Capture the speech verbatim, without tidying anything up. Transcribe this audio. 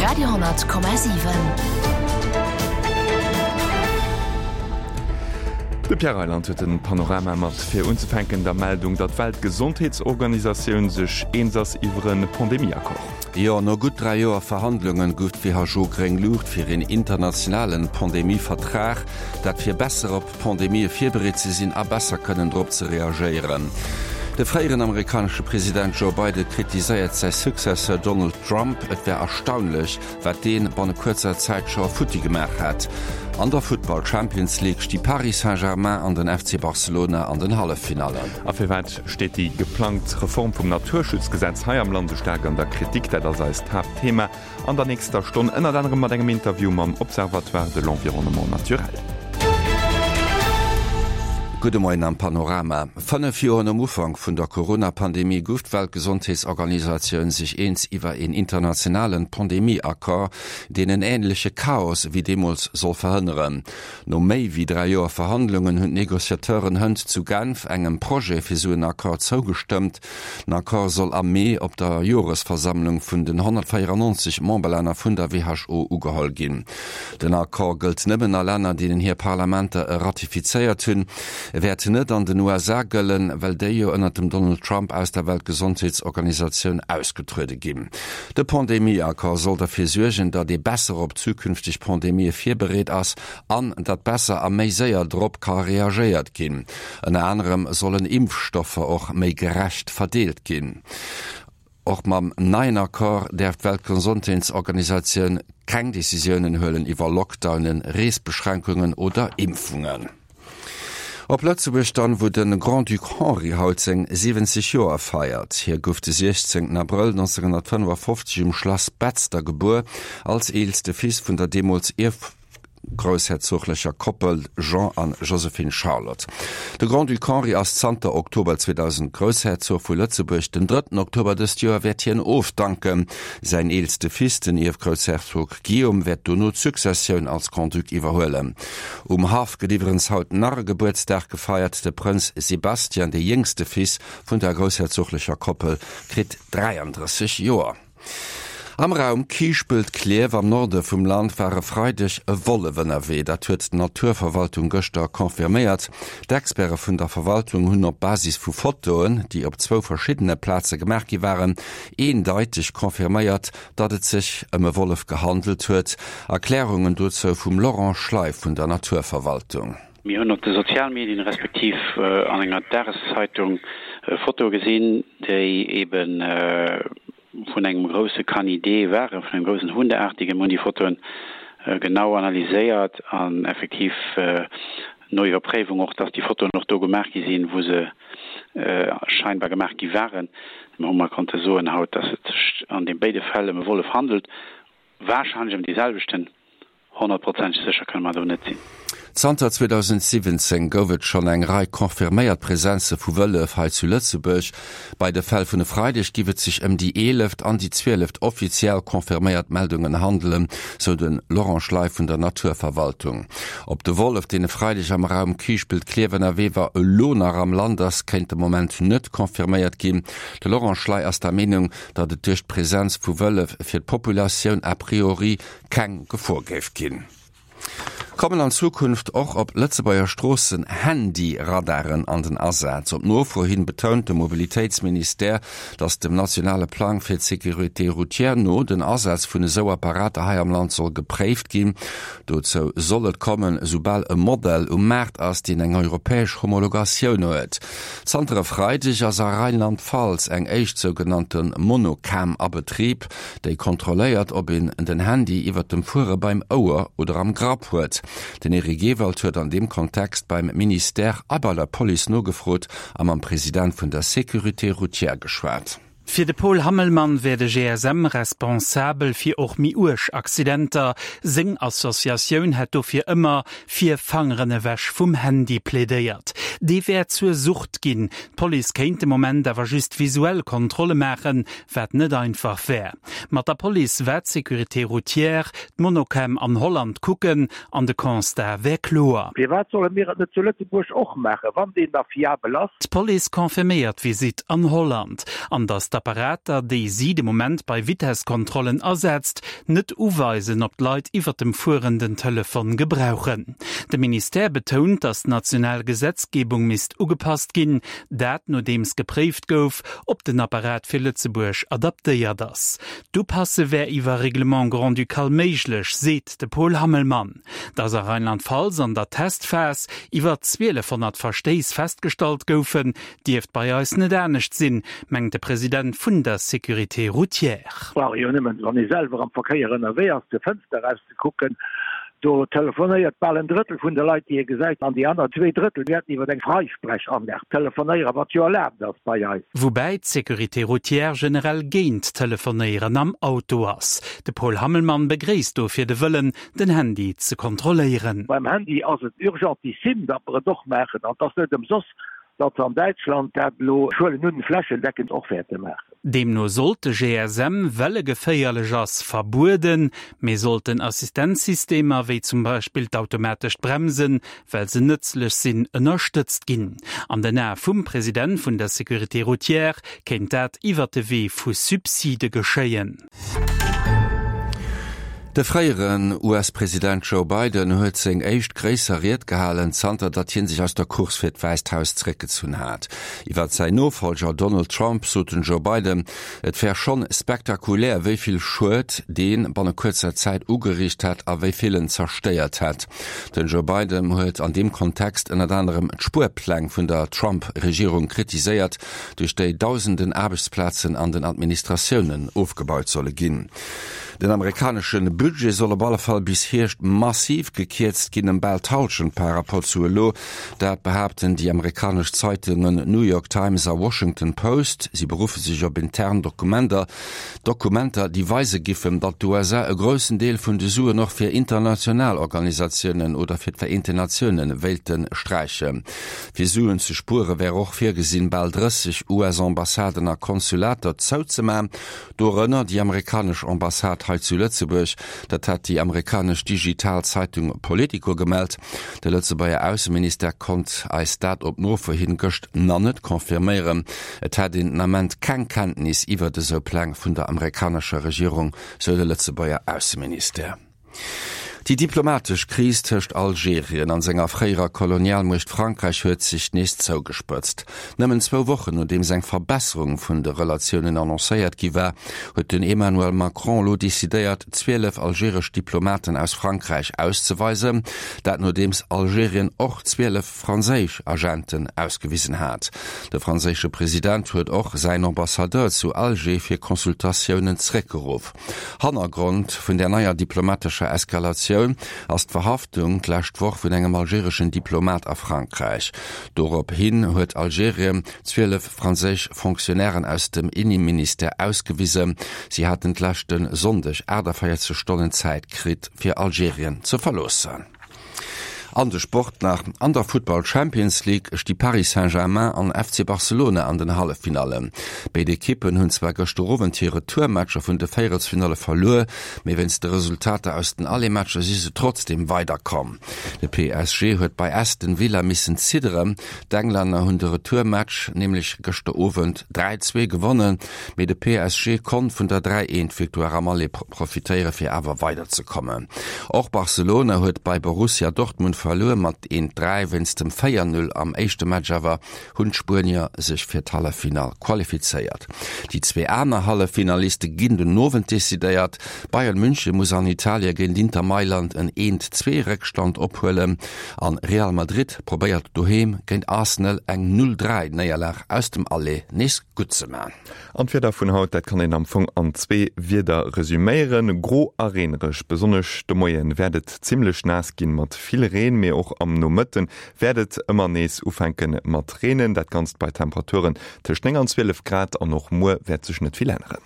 Radio honnert Komma siwen. De Pierre Reyland huet den Panorama mat fir unzefänken der Meldung, datt d'Weltgesondheetsorganisatioun sech eens ass iwwer e Pandemie-Accord. Jo, no gutt dräi Joer Verhandlungen gouf d'WHO gréng Luucht fir een internationalen Pandemie-Vertrag, dat fir besser op Pandemië virbereet ze sinn a besser kënnen drop ze reagéieren. De fréieren amerikanesche President Joe Biden kritiséiert säi Successeur Donald Trump, et wär erstaunlech, wat dee banne kuerzer Zäit scho futti gemaach hätt. An der Futtball Champions League sti Paris Saint-Germain an den F C Barcelona an den Halleffinallen. A firwat steet déi geplangt Reform vum Naturschutzgesetz hei am Land esou staark an der Kritik? Dat ass eist Haaptthema an der nächster Stonn, ënnert anerem mat engem Interview mam Observatoire de l'environnement naturel. Gudde Moien am Panorama. Fënnef Joer nom Ufank vun der Corona-Pandemie gouf d'Weltgesondheetsorganisatioun sech eens iwwer een internationalen Pandemie-Accord, deen en änleche Chaos wéi deemools soll verhënneren. No méi wéi dräi Joer Verhandlungen hunn d'Negociateuren hënt zu Genf engem Projet fir sou en Accord zougestëmmt. Den Accord soll am Mee op der Joresversammlung vun den honnertvéierannonzeg Memberlänner vun der W H O ugeholl ginn. Den Accord gëllt nëmmen a Länner, deenen hir Parlamenter e ratifizéiert hunn. E wäert net an den U S A gëllen, well déi jo ënnert dem Donald Trump aus der Weltgesondheetsorganisatioun ausgetruede ginn. De Pandemie-Accord soll derfir suergen, datt ee besser op zukünfteg Pandemië virbereet ass an datt besser a méi séier drop ka reagéiert ginn. Ënner anerem sollen Impfstoffer och méi gerecht verdeelt ginn. Och mam neien Accord däerf d'Weltgesondheetsorganisatioun keng Decisiounen huelen iwwer Lockdownen, Reesbeschränkungen oder Impfungen. Op Lëtzebuerg dann, wou de Grand-Duc Henri haut seng siwwenzeg Joer feiert. Hie gouf de siechzéngten Abrëll neunzehnhundertfünfundfünfzig um Schlass Betzder gebuer, als eelste Fils vun der deemools ierfgroussherzoglecher Koppel Jean an Joséphine Charlotte. De Grand-Duc Henri ass zanter Oktober zweitausend Groussherzog vu Lëtzebuerg. Den drëtten Oktober dëst Joer wäert hien ofdanken. Säin eelste Fils, den Ierfgroussherzog Guillaume, wäert dono d'Successioun als Grand-Duc iwwerhuelen. Um Haff gëtt iwwerens haut nach e Gebuertsdag gefeiert. De Prënz Sebastian, de jéngste Fils vun der groussherzoglecher Koppel, kritt dräianddrësseg Joer. Am Raum Kiischpelt-Klierf am Norde vum Land war e Freideg e Wollef ënnerwee. Dat huet d'Naturverwaltung gëschter confirméiert. D'Experte vun der Verwaltung hunn op Basis vu Fotoen, déi op zwou verschiddene Plaze gemaach gi waren, eendeitig confirméiert, datt et sech ëm e Wollef gehandelt huet. Erklärungen dozou vum Laurent Schley vun der Naturverwaltung. Mir hunn op de Sozialmedien respektiv, äh, an enger Tageszeitung, äh, Fotoe gesinn, déi eben, äh, vun engem grouse Canidé waren, vun engem großen Hundeartigen, hunn déi Fotoen, äh, genau analyséiert an effektiv, äh, no Iwwerpréiwung och, dass déi Fotoen och do gemaach gi sinn, wou se, äh, scheinbar gemaach gi waren. Mir hu mal konnte soen haut, dass et sech an den beide Fälle ëm e Wollef handelt, wahrscheinlich ëm déi selwechten, honnertprozentig sicher kënne mer do net sinn. Zanter zweitausendsiwwenzéng gouf et schonn eng Rei confirméiert Presenze vu Wëllef hei zu Lëtzebuerg. Bei de Fäll vun e Freideg giff et sech ëm déi eeleft an déi zwieleft offiziell confirméiert Meldungen handelen, sou den Laurent Schley vun der Naturverwaltung. Ob de Wollef, deen e Freideg am Raum Kiischpelt-Klierf ënnerwee war, elo nach am Land ass, kéint de Moment net confirméiert ginn. De Laurent Schley ass der Meenung, datt et duerch d'Presenz vu Wëllef fir d'Populatioun a priori keng Gefor géif ginn. Kommen an Zukunft och op Lëtzebuerger Stroossen Handy-Radaren an den Asaz. Op Nofro hin betount de Mobilitéitsministère, datt dem nationale Plang fir d'Sécurité routière no den Asaz vun esou Apparater hei am Land soll gepréift ginn. Dozou soll et kommen, soubal e Modell um Maart ass, deen eng europäesch Homologatioun huet. Zanter e Freideg ass a Rheinland-Pfalz eng éischt sougenannte Monocam a Betrib, déi kontrolléiert, ob een den Handy iwwer dem Fuere beim Ouer oder am Grapp huet. Den Eric Ewald huet an dem Kontext beim Ministère a bei der Police nogefrot a mam President vun der Sécurité routière geschwat. Fir de Paul Hammelmann wär de G S M responsabel fir och méi uerg Accidenter. Seng Associatioun hätt dofir ëmmer fir Fangeren ewech vum Handy plädéiert. Dee wär zur Sucht ginn. D'Police kéint de Moment awer just visuell Kontrolle maachen, wat net einfach wär. Mat der Police war d'Sécurité routière, d'Monocam an Holland kucken an de Constat wär kloer. Firwat solle mir et net zu Lëtzebuerg och maachen, wann deen da fiabel ass? D'Police confirméiert d'Visite an Holland. An dass d'Apparater, déi si de Moment bei Vitesskontrollen asetzt, net uweisen, ob d'Leit iwwer dem Fueren den Telefon gebrauchen. De Ministère betount, datt d'national Gesetzgebung misst ugepasst ginn, dat nodeems gepréift gouf, ob den Apparat fir Lëtzebuerg adaptéiert ass. D'Upasse wär iwwer Règlement grand-ducal méiglech, seet de Paul Hammelmann. Datt a Rheinland-Pfalz an der Testphas iwwer zwielefhonnert Verstéiss festgestallt goufen, dierft bei eis net anescht sinn, mengt de President vun der Sécurité routière. Brauch ee jo nëmmen, wann ee selwer am Verkéier ënnerwee ass, zur Fënster erauszekucken, do telefonéiert bal en Drëttel vun de Leit, déi ee gesäit, an déi aner zwee Drëttel wäerten iwwer eng Freisprechanlag telefonéieren, wat jo erlaabt ass bei eis. Woubäi d'Sécurité routière generell géint d'Telefonéieren am Auto ass. De Paul Hammelmann begréisst dofir de Wëllen, den Handy ze kontrolléieren. Beim Handy ass et urgentissime, datt mer et och maachen, an et ass net ëmsoss, datt se an Däitschland dat elo, ech huelen un, flächendeckend och wäerte maachen. Deemno sollt de G S M, well e geféierlech ass, verbueden, mee sollten Assistenzsystemer, wéi zum Beispill d'automatescht Bremsen, well se nëtzlech sinn, ënnerstëtzt ginn. An den Ae vum President vun der Sécurité routière kéint dat iwwer de Wee vu Subside geschéien. De fréieren U S-President Joe Biden huet seng éischt gréisser Ried gehalen, zanter datt hie sech aus der Course fir d'Wäisst Haus zeréckgezunn hat. Iwwer säin Nofollger Donald Trump sot den Joe Biden, et wär schonn spektakulär, wéi vill Schued dee banne kuerzer Zäit ugeriicht hätt a wéi vill en zerstéiert hätt. Den Joe Biden huet an deem Kontext ënnert anerem d'Spuerpläng vun der Trump-Regierung kritiséiert, duerch déi dausenden Aarbechtsplazen an den Administratiounen ofgebaut solle ginn. Den amerikanesche Budget soll op alle Fall bis Hierscht massiv gekierzt ginn, ëm bal d'Hallschent par rapport zu elo. Dat behaapten déi amerikanesch Zeitungen New York Times a Washington Post. Si beruffe sech op intern Dokumenter, Dokumenter, déi weise giffen, datt d'U S A e groussen Deel vun de Suen och fir international Organisatiounen oder fir d'Vereenten Natiounen wéilte sträichen. Fir Suen ze spuere wär och virgesinn, bal drësseg U S-Ambassaden a Konsulater zouzemachen, dorënner déi amerikanesch Ambassade hei zu Lëtzebuerg. Dat hat déi amerikanesch digital Zeitung Politico gemellt. De Lëtzebuerger Ausseminister konnt eis dat op Nofro hin gëscht nach net confirméieren. Et hat een den Ament keng Kenntnis iwwer dëse Pläng vun der amerikanescher Regierung, sou de Lëtzebuerger Ausseminister. Déi diplomatesch Kris tëscht Algerien an senger fréierer Kolonialmuecht Frankräich huet sech nees zougespëtzt. Nëmmen zwou Wochen, nodeems eng Verbesserung vun de Relatiounen annoncéiert gi war, huet den Emmanuel Macron elo decidéiert, zwielef algeresch Diplomaten aus Frankräich auszeweisen, dat nodeems Algerien och zwielef franséisch Agenten ausgewisen hat. De franséische President huet och säin Ambassadeur zu Alger fir Consultatiounen zeréckgeruff. Hannergrond vun der neier diplomatescher Eskalatioun ass d'Verhaftung d'lescht Woch vun engem algereschen Diplomat a Frankräich. Dorophin huet Algerien zwielef franséisch Fonctionnairen aus dem Inneministère ausgewiesen. Si haten d'leschte Sonndeg achtundvierzeg Stonnen Zäit kritt, fir Algerien ze verloossen. An de Sport nach an der Football Champions League sti Paris Saint-Germain an F C Barcelona an den Halleffinallen. Béid Ekippen hunn zwar gëschter Owend hir Retourmatcher vun de Véierelsfinalle verluer, mee wéinst de Resultater aus den Aller-Matcher si se trotzdem weiderkomm. De P S G huet bei Aston Villa missen zidderen. D'Englänner hunn de Retourmatch nämlech gëschter Owend dräi zwee gewonnen, mee de P S G konnt vun der dräi eent Victoire am Aller profitéiere fir awer weiderzekommen. Och Barcelona huet bei Borussia Dortmund verluer mat eent dräi wéinst dem véier null am éischte Match awer hunn d'Spuenier sech fir d'Halleffinall qualifizéiert. Déi zwee aner Halleffinaliste ginn den Owend decidéiert. Bayern München muss an Italien géint Inter Mailand en eent zwee Réckstand ophuelen an Real Madrid probéiert doheem géint Arsenal eng null dräi Néierlag aus dem Aller nees gutt ze man. An d'Wieder vun haut, dat kann een am Fong an zwee Wieder resüméieren. Gro a reenereg, besonnesch de Moien wäert et zimmlech naass ginn mat vill Reen, mee och am Nomëtten wäert et ëmmer nees ufänke mat Reenen. Dat Ganzt bei Temperaturen tëscht néng an zwielef Grad an och muer wäert sech net vill änneren.